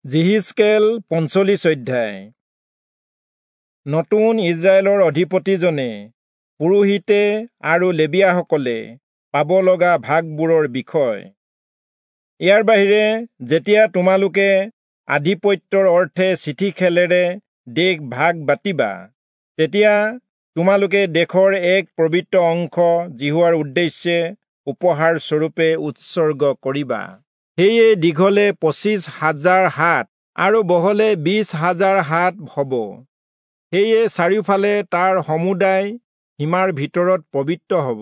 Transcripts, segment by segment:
যিহিষ্কেল 45 অধ্যায়। নতুন ইজৰাইলৰ অধিপতিজনে পুৰোহিতে আৰু লেবীয়াসকলে পাব লগা ভাগবোৰৰ বিষয়। ইয়াৰ বাহিৰে যেতিয়া তোমালোকে আধিপত্যৰ অৰ্থে চিঠি খেলেৰে দেশ ভাগ বাতিবা, তেতিয়া তোমালোকে দেশৰ এক পবিত্ৰ অংশ যিহোৱাৰ উদ্দেশ্যে উপহাৰ স্বৰূপে উৎসৰ্গ কৰিবা। সেয়ে দীঘলে 25,000 হাত আৰু বহলে 20,000 হাত হ'ব। সেয়ে চাৰিওফালে তাৰ সমুদায় সীমাৰ ভিতৰত পবিত্ৰ হ'ব।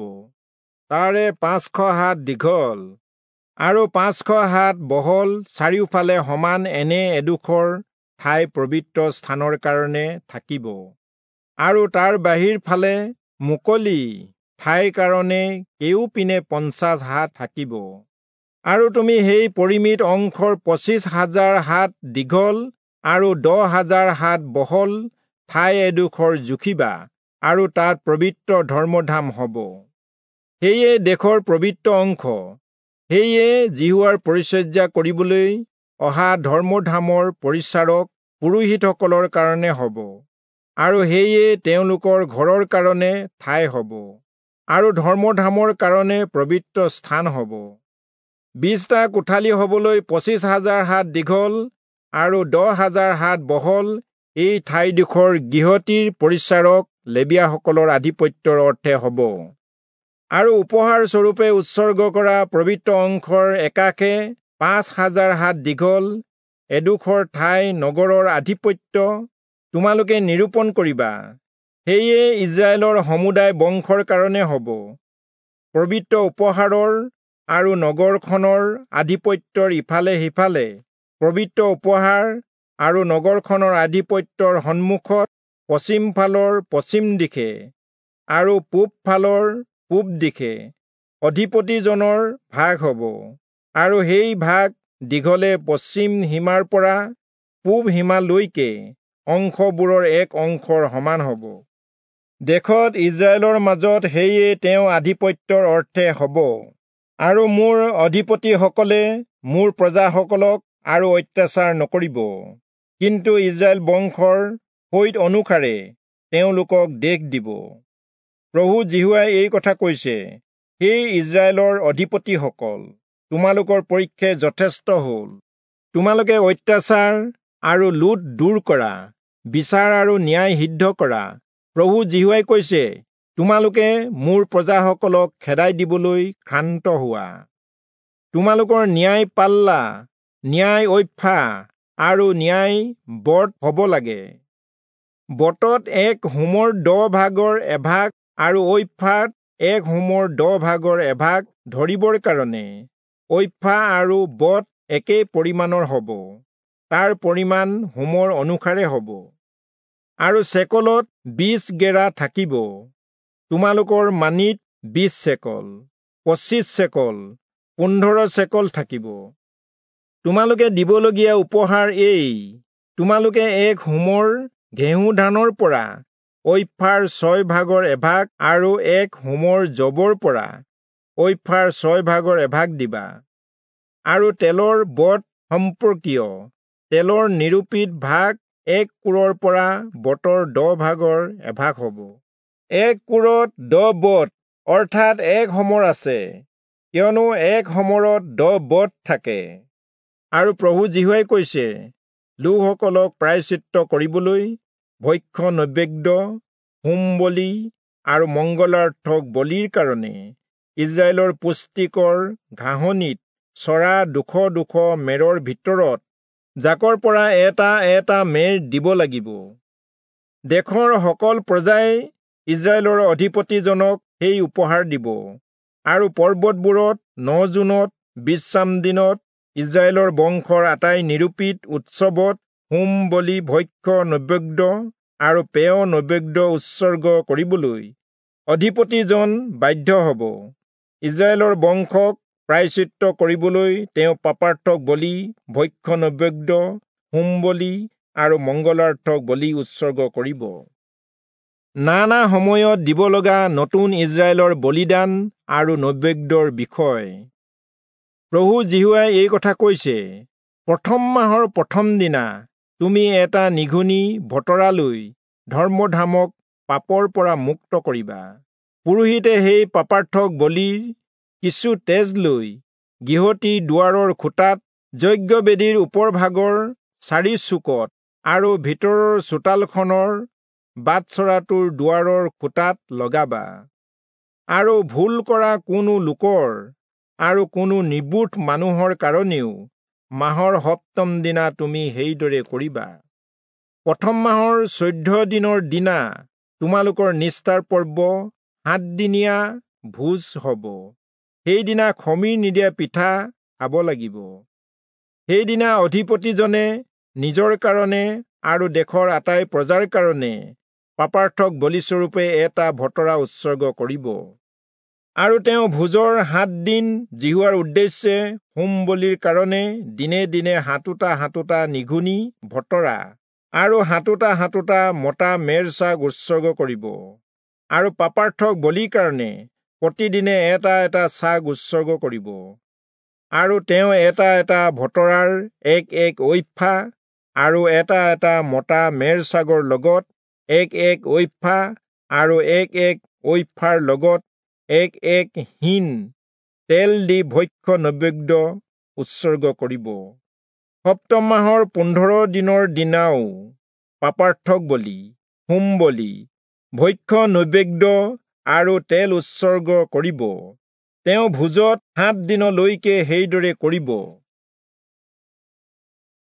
তাৰে 500 হাত দীঘল আৰু 500 হাত বহল চাৰিওফালে সমান এনে এডোখৰ ঠাই পবিত্ৰ স্থানৰ কাৰণে থাকিব, আৰু তাৰ বাহিৰ ফালে মুকলি ঠাইৰ কাৰণে কেউপিনে 50 হাত থাকিব। আৰু তুমি সেই পৰিমিত অংশৰ 25,000 হাত দীঘল আৰু 10,000 হাত বহল ঠাই এডোখৰ জুখিবা, আৰু তাত পবিত্ৰ ধৰ্মধাম হ'ব। সেয়ে দেশৰ পবিত্ৰ অংশ, সেয়ে যিহোৱাৰ পৰিচৰ্যা কৰিবলৈ অহা ধৰ্মধামৰ পৰিচাৰক পুৰোহিতসকলৰ কাৰণে হ'ব, আৰু সেয়ে তেওঁলোকৰ ঘৰৰ কাৰণে ঠাই হ'ব, আৰু ধৰ্মধামৰ কাৰণে পবিত্ৰ স্থান হ'ব। 20টা কোঠালি হ'বলৈ 25,000 হাত দীঘল আৰু 10,000 হাত বহল এই ঠাইডোখৰ গৃহটিৰ পৰিচাৰক লেবীয়াসকলৰ আধিপত্যৰ অৰ্থে হ'ব। আৰু উপহাৰ স্বৰূপে উৎসৰ্গ কৰা পবিত্ৰ অংশৰ একাষে 5,000 হাত দীঘল এডোখৰ ঠাই নগৰৰ আধিপত্য তোমালোকে নিৰূপণ কৰিবা। সেয়ে ইজৰাইলৰ সমুদায় বংশৰ কাৰণে হ'ব। পবিত্ৰ উপহাৰৰ আৰু নগৰখনৰ আধিপত্যৰ ইফালে সিফালে পবিত্ৰ উপহাৰ আৰু নগৰখনৰ আধিপত্যৰ সন্মুখত পশ্চিম ফালৰ পশ্চিম দিশে আৰু পূব ফালৰ পূব দিশে অধিপতিজনৰ ভাগ হ'ব, আৰু সেই ভাগ দীঘলে পশ্চিম সীমাৰ পৰা পূব সীমালৈকে অংশবোৰৰ এক অংশৰ সমান হ'ব। দেশত ইজৰাইলৰ মাজত সেয়ে তেওঁ আধিপত্যৰ অৰ্থে হ'ব। আৰু মোৰ অধিপতিসকলে মোৰ প্ৰজাসকলক আৰু অত্যাচাৰ নকৰিব, কিন্তু ইজৰাইল বংশৰ ফৈদ অনুসাৰে তেওঁলোকক দেশ দিব। প্ৰভু যিহোৱাই এই কথা কৈছে, সেই ইজৰাইলৰ অধিপতিসকল, তোমালোকৰ পক্ষে যথেষ্ট হ'ল। তোমালোকে অত্যাচাৰ আৰু লুট দূৰ কৰা, বিচাৰ আৰু ন্যায় সিদ্ধ কৰা। প্ৰভু যিহোৱাই কৈছে, তোমালোকে মোৰ প্ৰজাসকলক খেদাই দিবলৈ ক্ষান্ত হোৱা। তোমালোকৰ ন্যায় পাল্লা, ন্যায় ঐফা আৰু ন্যায় বট হ'ব লাগে। বটত এক হোমৰ 10 ভাগৰ এভাগ আৰু ঐফাত এক হোমৰ 10 ভাগৰ এভাগ ধৰিবৰ কাৰণে ঐফা আৰু বট একে পৰিমাণৰ হ'ব। তাৰ পৰিমাণ হোমৰ অনুসাৰে হ'ব। আৰু চেকলত 20 গেৰা থাকিব। তোমালোকৰ মানিত 20 চেকল, 25 চেকল, 15 চেকল থাকিব। তোমালোকে দিবলগীয়া উপহাৰ এই: তোমালোকে এক হোমৰ ঘেঁহু ধানৰ পৰা ঐফাৰ 6 ভাগৰ এভাগ আৰু এক হোমৰ যৱৰ পৰা ঐফাৰ 6 ভাগৰ এভাগ দিবা। আৰু তেলৰ বট সম্পৰ্কীয় তেলৰ নিৰূপিত ভাগ এক কোৰৰ পৰা বটৰ 10 ভাগৰ এভাগ হ'ব। এক কোৰত 10 বট অৰ্থাৎ এক হোমৰ আছে, কিয়নো এক হোমৰত 10 বট থাকে। আৰু প্ৰভু যিহোৱাই কৈছে, লোকসকলক প্ৰায়শ্চিত্ত কৰিবলৈ ভক্ষ্য নৈবেদ্য, হোম বলি আৰু মংগলাৰ্থক বলিৰ কাৰণে ইজৰাইলৰ পুষ্টিকৰ ঘাঁহনিত চৰা 200 মেৰৰ ভিতৰত জাকৰ পৰা এটা এটা মেৰ দিব লাগিব। দেশৰ সকল প্ৰজাই ইজৰাইলৰ অধিপতিজনক সেই উপহাৰ দিব। আৰু পৰ্বতবোৰত ন-জোনত, বিশ্ৰাম দিনত, ইজৰাইলৰ বংশৰ আটাই নিৰূপিত উৎসৱত হোম বলি, ভক্ষ্য নৈবেদ্য আৰু পেয় নৈবেদ্য উৎসৰ্গ কৰিবলৈ অধিপতিজন বাধ্য হ'ব। ইজৰাইলৰ বংশক প্ৰায়শ্চিত্ত কৰিবলৈ তেওঁ পাপাৰ্থক বলি, ভক্ষ্য নৈবেদ্য, হোম বলি আৰু মংগলাৰ্থক বলি উৎসৰ্গ কৰিব। নানা সময়ত দিব লগা নতুন ইজৰাইলৰ বলিদান আৰু নৈবেদ্যৰ বিষয়। প্ৰভু যিহোৱাই এই কথা কৈছে, প্ৰথম মাহৰ প্ৰথম দিনা তুমি এটা নিঘুনি ভতৰা লৈ ধৰ্মধামক পাপৰ পৰা মুক্ত কৰিবা। পুৰোহিতে সেই পাপাৰ্থক বলিৰ কিছু তেজ লৈ গৃহটিৰ দুৱাৰৰ খুঁটাত, যজ্ঞবেদীৰ ওপৰভাগৰ চাৰি চুকত আৰু ভিতৰৰ চোতালখনৰ বাটচৰাটোৰ দুৱাৰৰ খুঁটাত লগাবা। আৰু ভুল কৰা কোনো লোকৰ আৰু কোনো নিৰ্বোধ মানুহৰ কাৰণেও মাহৰ সপ্তম দিনা তুমি সেইদৰে কৰিবা। প্ৰথম মাহৰ 14 দিনৰ দিনা তোমালোকৰ নিস্তাৰ পৰ্ব 7দিনীয়া ভোজ হ'ব। সেইদিনা খমীৰ নিদিয়া পিঠা খাব লাগিব। সেইদিনা অধিপতিজনে নিজৰ কাৰণে আৰু দেশৰ আটাই প্ৰজাৰ কাৰণে পাপাৰ্থক বলিস্বৰূপে এটা ভতৰা উৎসৰ্গ কৰিব। আৰু তেওঁ ভোজৰ 7 দিন যিহোৱাৰ উদ্দেশ্যে হোম বলিৰ কাৰণে দিনে দিনে 7টা 7টা নিঘুনি ভতৰা আৰু 7টা 7টা মতা মেৰ ছাগ উৎসৰ্গ কৰিব। আৰু পাপাৰ্থক বলিৰ কাৰণে প্ৰতিদিনে এটা এটা ছাগ উৎসৰ্গ কৰিব। আৰু তেওঁ এটা এটা ভতৰাৰ এক এক ঐফা আৰু এটা এটা মতা মেৰ ছাগৰ লগত এক এক ঐফা আৰু এক এক ঐফাৰ লগত এক এক হিন তেল দি ভক্ষ্য নৈবেদ্য উৎসৰ্গ কৰিব। সপ্তম মাহৰ 15 দিনৰ দিনাও পাপাৰ্থক বলি, হোম বলি, ভক্ষ্য নৈবেদ্য আৰু তেল উৎসৰ্গ কৰিব। তেওঁ ভোজত 7 দিনলৈকে সেইদৰে কৰিব।